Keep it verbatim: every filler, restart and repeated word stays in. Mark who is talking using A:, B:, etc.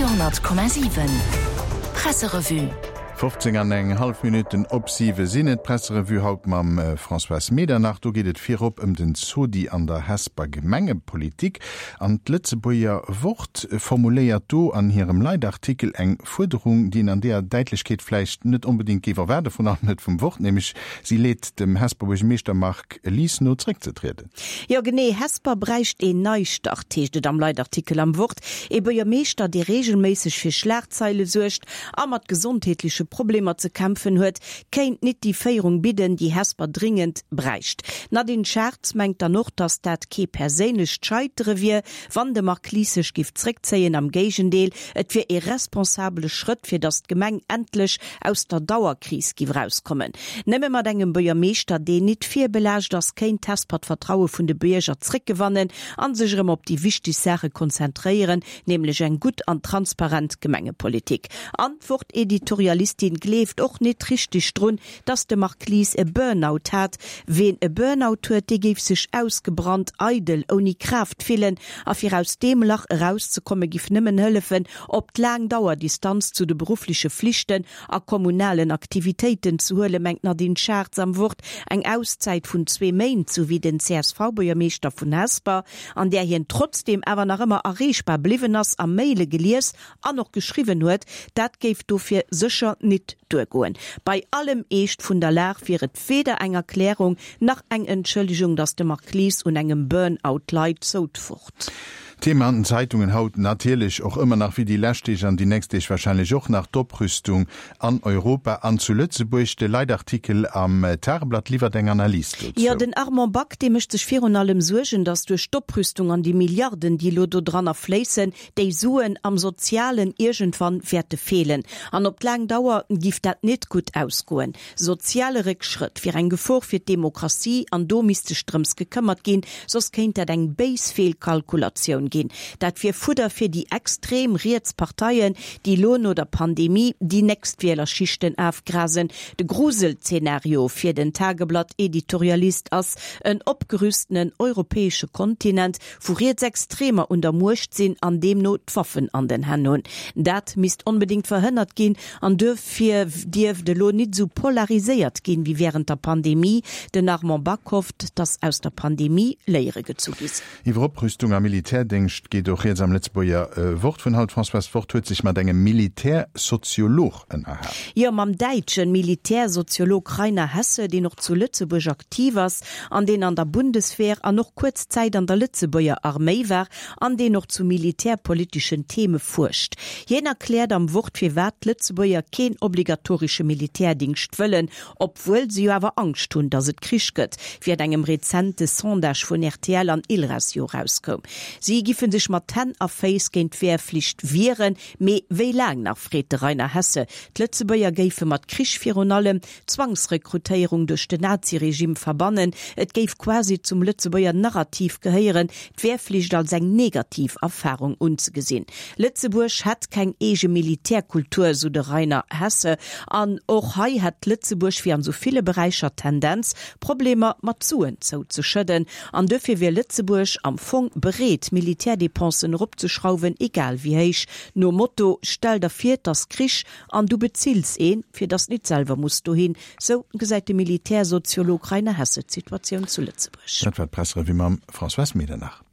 A: Radio hundert Komma siwen Presserevue.
B: Fofzéng an eng hallef Minutten op siwe sinn et. D'Presserevue haut mam Françoise Medernach. Do geet et virop ëm den Zodi an der Hesper Gemengepolitik. An d'Lëtzebuerger Wort formuléiert do an hirem Leitartikel eng Fuerderung, déi een an deeër Däitlechkeet vläicht net onbedéngt géif erwaarden, vrun allem net vum Wort, nämlech si leet dem Hesper Buergermeeschter Marc Lies no, zréckzetrieden.
C: Jo genee, Hesper bräicht een Neistart, heescht et am Leitartikel am Wort. Ee Buergermeeschter, dee reegelméisseg fir Schlagzeile suergt a mat gesondheetleche Problemer ze kämpfen huet, kéint nit déi Féierung bidden, déi Hesper dringend bräicht. D'Nadine Schartz mengt dann och, datt dat kee perséinlecht Scheitere wier, wann de Marc Lies sech giff zréckzéien, am Géigendeel, et wier ee responsabele Schrëtt, fir datt d'Gemeng endlech aus der Dauerkris giff erauskommen. Nëmme mat engem Buergermeeschter, deen nit virbelaascht ass, kéint Hesper d'Vertraue vun de Bierger zréckgewannen an sech erëm op déi wichteg Saache konzentréieren, nämlech eng gutt an transparent Gemengepolitik. An d'Wort-Editorialistin gleeft och nit richteg drun, datt de Marc Lies e Burnout hat. Ween e Burnout huet, dee géif sech ausgebrannt, eidel, ouni Kraaft fillen a fir aus deem Lach erauszekomme giff nëmmen hëllefen, op d'laang Dauer Distanz zu de beruffleche Flichten a kommunalen Aktivitéiten ze huelen, mengt d'Nadine Schartz am Wort. Eng Auszäit vun zwee Méint, sou wéi den C S V-Buergermeeschter vun Hesper, an där hien trotzdeem awer nach ëmmer erreechbar bliwwen ass a Maile gelies an och geschriwwen huet, dat géif dofir sécher nit duergoen. Bei allem Eescht vun der Lag wier et weder eng Erklärung nach eng Entschëllegung, datt de Marc Lies un engem Burnout leit, sou d'Wort.
B: Thema an den Zeitungen haut natierlech och ëmmer nach, wéi déi lescht Deeg an déi nächst Deeg warscheinlech och nach, d'Oprüstung an Europa an zu Lëtzebuerg. De Leitartikel am Tageblatt liwwert eng Analys dozou.
C: Jo, den Armand Back, dee mécht sech virun allem Suergen, datt duerch d'Oprüstung an déi Milliarden, déi elo do dranner fléissen, déi Suen am Sozialen iergendwann wäerte feelen. An op d'laang Dauer giff dat net gutt ausgoen. Soziale Réckschrëtt wier eng Gefor fir d'Demokratie an do misst sech drëms gekëmmert ginn, soss kéint dat eng béis Feelkalkulatioun ginn. Dat wier Fudder fir déi extrem riets Parteien, déi elo no der Pandemie déi nächst Wielerschichten afgrasen. De Gruselzenario fir den Tageblatt-Editorialist ass en opgerüstenen europäesche Kontinent, wou Rietsextremer un der Muecht sinn an deemno d'Waffen an den Hänn hunn. Dat misst onbedéngt verhënnert ginn an duerfir dierft elo nit esou polariséiert ginn, wéi wärend der Pandemie. Den Armand Back hofft, dass aus der Pandemie Léiere gezu gi sinn.
B: Iwwer Oprüstung a Militärdéngscht geet och rieds am Lëtzebuerger Wort vun haut. Françoise, d'Wort huet sech mat engem Militärsoziolog ënnerhalen.
C: Jo, mam däitsche Militärsoziolog Rainer Hesse, deen och zu Lëtzebuerg aktiv ass an deen an der Bundeswehr an och kuerz Zäit an der Lëtzebuerger Arméi war an deen och zu militärpoliteschen Theme fuerscht. Hien erkläert am Wort, firwat d'Lëtzebuerger keen obligatoresche Militärdingscht wëllen, obwuel se jo awer Angscht hunn, datt et Krich gëtt, wéi an engem rezente Sondage vun R T L an Ilres jo erauskoum. Si giffe sech mat Hänn a Féiss géint d'Wehrflicht wieren, mee wéi laang nach, freet de Rainer Hesse. D'Lëtzebuerger géife mat Krich virun allem d'Zwangsrekrutéierung duerch den Naziregime verbannen. Et géif quasi zum Lëtzebuerger Narrativ gehéieren, d'Wehrflicht als eng negativ Erfarung unzegesinn. Lëtzebuerg hätt keng eege Militärkultur, sou de Rainer Hesse. An och hei hätt Lëtzebuerg wéi an sou ville Beräicher d'Tendenz, Problemer mat Suen zouzeschëdden. An duerfir wier Lëtzebuerg am Fong bereet, Militärdepensen eropzeschrauwen, egal wéi héich. Nom Motto, Stell der vir, 't ass Krich an du bezills een, fir dass nit selwer muss dohin. Sou gesäit de Militärsoziolog Rainer Hesse d'Situatioun zu Lëtzebuerg.
B: Dat war d'Presserevue mam Françoise Medernach.